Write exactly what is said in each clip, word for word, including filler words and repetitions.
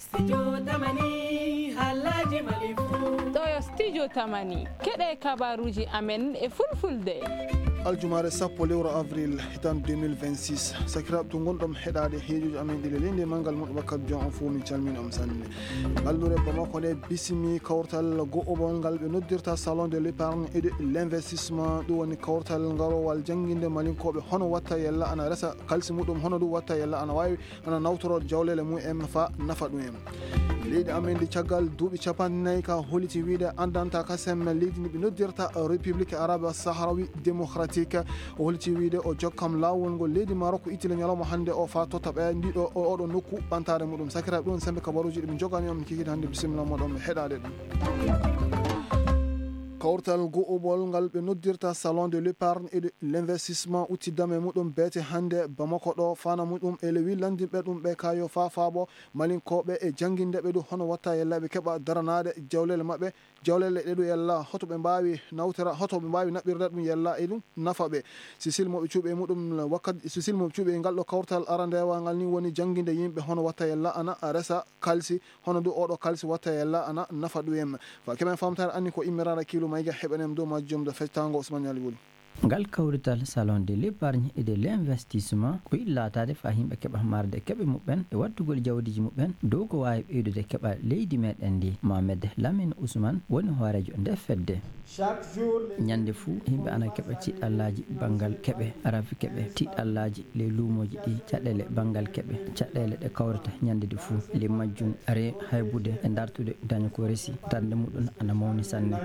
Studio Tamani, haalaaji Mali fuu. Ɗo yo Studio Tamani, keɗe kabaruuji amen e fulfulde. Aljumaare sappo lewru avril, hitan deux mille vingt-six. Sakiraaɓe to ngonɗon heɗaade heejuuji amen ɗi le leydi e manngal muɗum wakkati jon on fof, min calmini on sanne. Ngalluure Bamako nde bisimi kawtal go'obol ngal ɓe noddirta Salon de l'épargne et de l'investissement. Ɗum woni kawtal ngarowal jannginde Malinkooɓe hono watta yella ana resa kalsi muɗum, hono ɗum watta yella ana waawi ana nawtoro jawlele mum en fa nafa ɗum en. Leydi amen ndi caggal duuɓi capanɗe nayi ka holiti wiide andanta kasem leydi ndi ɓe noddirta République Arabe Sahrawi Démocratique. O holiti wiide o jokkam laawol ngol leydi Maroc ittile ñalawma hannde o fa totta ɓe ndiɗo o-, oɗo nokku ɓantaare muɗum. Sakiraaɓe, ɗum sembe kabaruuji ɗi min jogani on, min kikita hannde, bisimilla moɗon ɓe heɗaade ɗum. Kawtal go'obol ngal ɓe noddirta Salon de l'épargne et de l'investissement utti dame muɗum beete hannde Bamako ɗo, fana muɗum e lewi landinɓe ɗum ɓe kayo fa faabo Malinkooɓe e jannginde ɓe ɗum hono watta yella ɓe keɓa daranaade jawlele maɓɓe, jawlele ɗe ɗum yella hoto ɓe mbaawi nawtira, hoto ɓe mbaawi naɓɓirde ɗum yella e ɗum nafa ɓe. Sisil mo ɓe cuuɓi e muɗum wakkati, sisil mo ɓe cuuɓi e ngal ɗo kawtal arandeewal ngal ni woni jannginde yimɓe hono watta yella ana resa kalsi, hono ndu oɗo kalsi watta yella ana nafa ɗum en. Fa keɓen famtaare anni ko immiraɗo kiilu mayga heɓen en dow majjum do fectango Ousmane Ali Wuli. Ngal kawrital Salon de l'épargne et de l'investissement ko yiɗi laataade fa yimɓe keɓa marde keɓe muɓɓen e wattugol jawdiji muɓɓen dow ko waawi ɓeydude keɓa leydi meɗen ndi. Mohamed Lamine Ousmane woni hooreejo nde fedde. Ñande fuu, yimɓe ana keɓa tiɗallaaji banngal keɓe, rafi keɓe, tiɗallaaji ley luumooji ɗi, caɗeele banngal keɓe, caɗeele ɗe kawrata ñande nde fuu. Ley majjum, re haybude e dartude daña ko resi, darnde muɗum ana mawni sanne.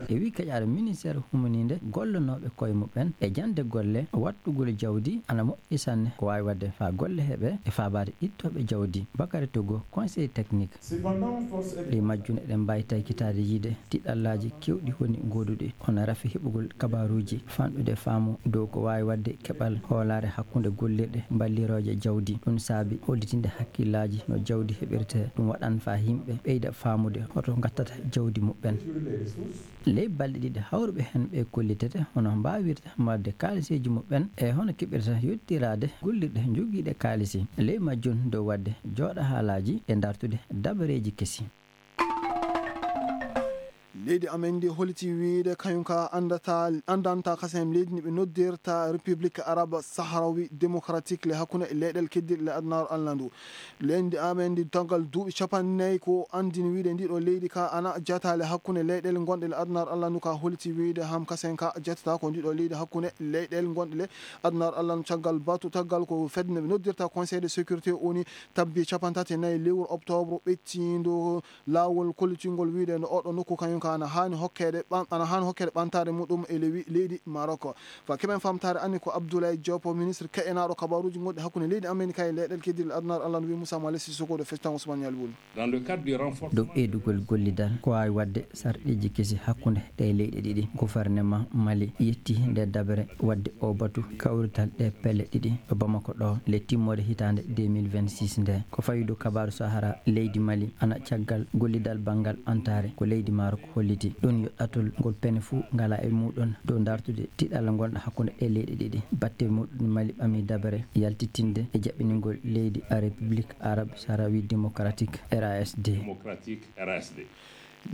E wii kaƴaare ministeer humaniinde gollanooɓe koye muɓɓen e jannde golle, wattugol jawdi ana moƴƴi sanne. Ko waawi waɗde faa golle heɓe e faabaade ittooɓe jawdi. Bakary Togo, conseil technique. Ɗi majjum eɗen mbaawi taykitaade yiide tiɗallaaji keewɗi woni gooduɗi, hono rafi heɓugol kabaaruuji, fanɗude faamu dow ko waawi waɗde keɓal hoolaare hakkunde gollirɗe ballirooje jawdi. Ɗum saabi hollitinde hakkillaaji no jawdi heɓirtee. Ɗum waɗan faa yimɓe ɓeyda faamude hoto ngattata jawdi muɓɓen. Ley balɗe ɗiɗi hawruɓe heen ɓe kollitete hono mbaawirta marde kaaliseeji muɓɓen e hono keɓirta yottiraade gollirɗe jogiiɗe kaalisi. Ley majjum dow waɗde jooɗa haalaaji e dartude dabareeji kesi. Leydi amen ndi holiti wiide kañum ka andata, andanta kasen leydi ndi ɓe noddirta République Arabe Sahrawi Démocratique le hakkunde leyɗel keddiɗe le adunaaru Allah ndu. Leydi amen ndi tangal duuɓi capanɗe nayi ko andini wiide ndiɗo leydi ka ana jataale hakkunde leyɗel gonɗe le adunaaru Allah ndu ka holiti wiide ham kasen ka jatata ko ndiɗo leydi hakkunde leyɗel gonɗe le adunaaru Allah ndu caggal batu taggal ko fedde nde ɓe noddirta Conseil de sécurité O N U tabbi capanɗe tati e nayi lewru octobre ɓettindo laawol kollitingol wiide no oɗo nokku kañum ka ana haani hokkeede ɓan-, ana haani hokkeede ɓantaare muɗum e lewi-, leydi Maroc. Fa keɓen famtaare anni ko Abdoulaye Diop, ministre ke'enaaɗo kabaruuji gonɗi hakkunde leydi amen ka e leyɗel keddiɗe adunaaru Allah no wi'i Moussa Malick Sissoko ɗo fectan Ousmane Yalbouri. Dans le cadre du renforcement Dow ɓeydugol gollidal ko waawi waɗde sarɗiiji kesi hakkunde ɗe leyɗe ɗiɗi. Gouvernement Mali yetti nde dabere waɗde o batu kawrital ɗe pelle ɗiɗi ɗo Bamako ɗo le timmoode hitaande deux mille vingt-six nde. Ko fawido kabaaru Sahara leydi Mali ana caggal gollidal banngal ɓantaare ko leydi Maroc holliti. Ɗum yo ɗatol ngol pene fuu ngala e muɗum dow dartude tiɗalla ngonɗo hakkunde ɗe leyɗe ɗiɗi. Batte muɗum Mali ɓami dabere yaltitinde e jaɓɓiningol leydi République Arabe Sahrawi Démocratique, R A S D. Démocratique, R A S D.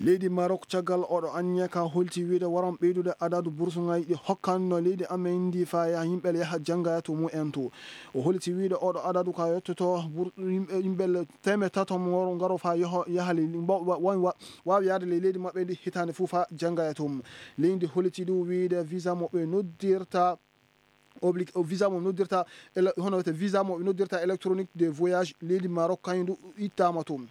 Leydi Maroc caggal oɗo anniya ka holti wiide waran ɓeydude adadu bursuŋaaji ɗi hokkanno leydi amen ndi fa yaha yimɓe yaha jannga to mumen to. O holti wiide oɗo adadu ka yottoto bur-, yimɓe, yimɓe teemeɗɗe tato mo ngaro fa yoho-, yaha le-, wa-, wa-, wa-, waawi yaade ley leydi maɓɓe ndi hitaande fuu fa jannga to mum. Leydi holti ɗum wiide visa mo ɓe noddirta obli-, o visa mo noddirta ele-, hono wiyete visa mo ɓe noddirta électronique de voyage leydi Maroc kañum ndu ittaama toon.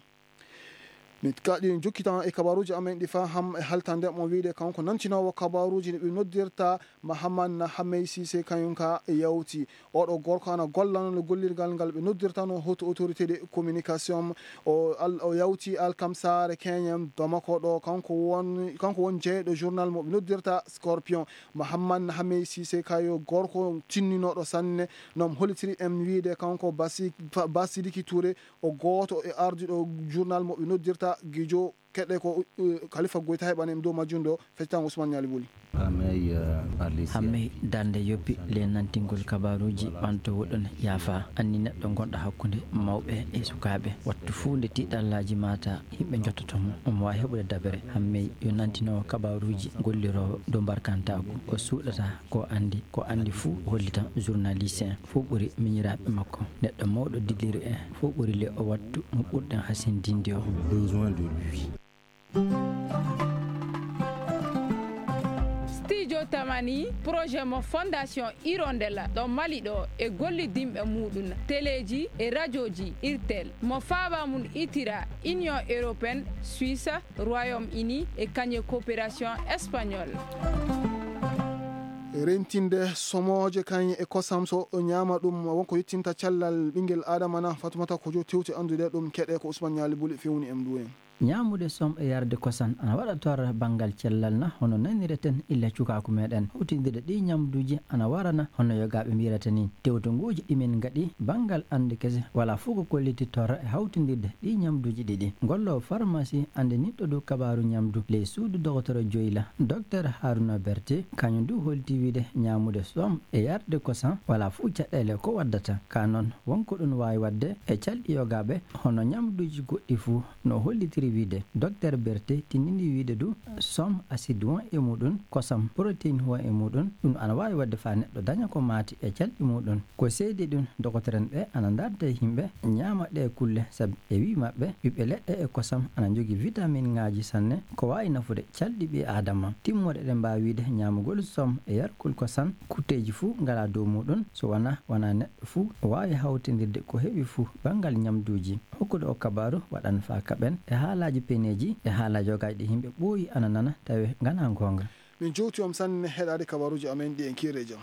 Min kaɗi jokkitan e kabaruuji amen ɗi fa ham e haltande mo wiide kanko nantinoowo kabaruuji ɗi ɓe noddirta Mahamman Hamey Sise kañum ka e yawti. Oɗo gorko ana gollano le gollirgal ngal ɓe noddirtano haute autorité de communication. O al-, o yawti alkamsaare keñen Bamako ɗo. Kanko won, kanko won jeyɗo journal mo ɓe noddirta Scorpion. Mahamman Hamey Sise kayo gorko tinninooɗo sanne. Nom holitiri en wiide kanko Basi-, Fa-, Basidiki Touré o gooto e ardiɗo journal mo ɓe noddirta Gijo keɗe ko uh, Khalifa Goita heɓani em dow majjum ɗo. Feccitango Ousmane Ñaali Buli. Hammey, darnde yoppi le nantingol kabaruuji ɓanto woɗon yaafa. Anni neɗɗo gonɗo hakkunde mawɓe e sukaaɓe, wattu fuu nde tiiɗallaaji maata, yimɓe njottoto mo, omo waawi heɓude dabere. Hammey yo nantinowo kabaruuji golliroowo dow mbarkantaaku, o suuɗata ko anndi, ko anndi fuu hollita journaliste en, fuu ɓuri miñiraaɓe makko. Neɗɗo mawɗo dilliri en, fuu ɓuri le o wattu mo ɓurɗen hasindinde o. Studio Tamani, projet mo Fondation Hirondelle ɗo Mali ɗo e gollidinɓe muɗum, teleeji e rajoji Irtel, mo faaba mum itira Union Européenne, Suisse, Royaume Uni e kañe Coopération Espagnole. Rentinde somooje kañ e kosam, so o ñaama ɗum, wonko yottinta cellal ɓinngel aadama na? Fatumata ko jo tewti anndude ɗum, keɗe ko Usman Ñaali Buli fewni em ndu en. Ñaamude som e yarde kosam ana waɗa torra banngal cellal na, hono nanireten illa cukaaku meɗen? Hawtindirde ɗii ñamduuji ana warana hono yogaaɓe mbiyirata ni. Tewtongooji ɗi min ngaɗi banngal annde kese wala fof ko kolliti torra e hawtindirde ɗii ñamduuji ɗiɗi. Golloowo farmasi anndinirɗo dow kabaaru ñamdu ley suudu dogotoro Joyla, Doktor Haruna Berte, kañum du holti wiide ñaamude som e yarde kosam wala fof caɗeele ko waddata. Ka noon, won ko ɗum waawi waɗde e calɗi yogaaɓe, hono ñamduuji goɗɗi fof. No hollitiri wiide, Doktor Berte tindini wiide du, som acide won e muɗum, kosam protéine won e muɗum, ɗum ana waawi waɗde faa neɗɗo daña ko maati e calɗi muɗum. Ko seedi ɗum, dokotoren ɓe ana ndarda e yimɓe ñaama ɗee kulle, sabi e wii maɓɓe, ɓiɓɓe leɗɗe e kosam ana njogii vitaminŋaaji sanne, ko waawi nafude calɗi ɓii aadama. Timmoode eɗen mbaawi wiide ñaamugol som e yargol kosam, kutteeji fuu ngalaa dow muɗum, so wonaa, wonaa neɗɗo fuu waawi hawtindirde ko heɓi fuu banngal ñamduuji. Hokkude oo kabaaru waɗan faa kaɓen e haalaaji peneeji e haalaaji yogaaji ɗi yimɓe ɓooyi ana nana tawi nganaa goonga. Min jowti on sanne heɗaade kabaaruuji amen ɗi en kiire jam.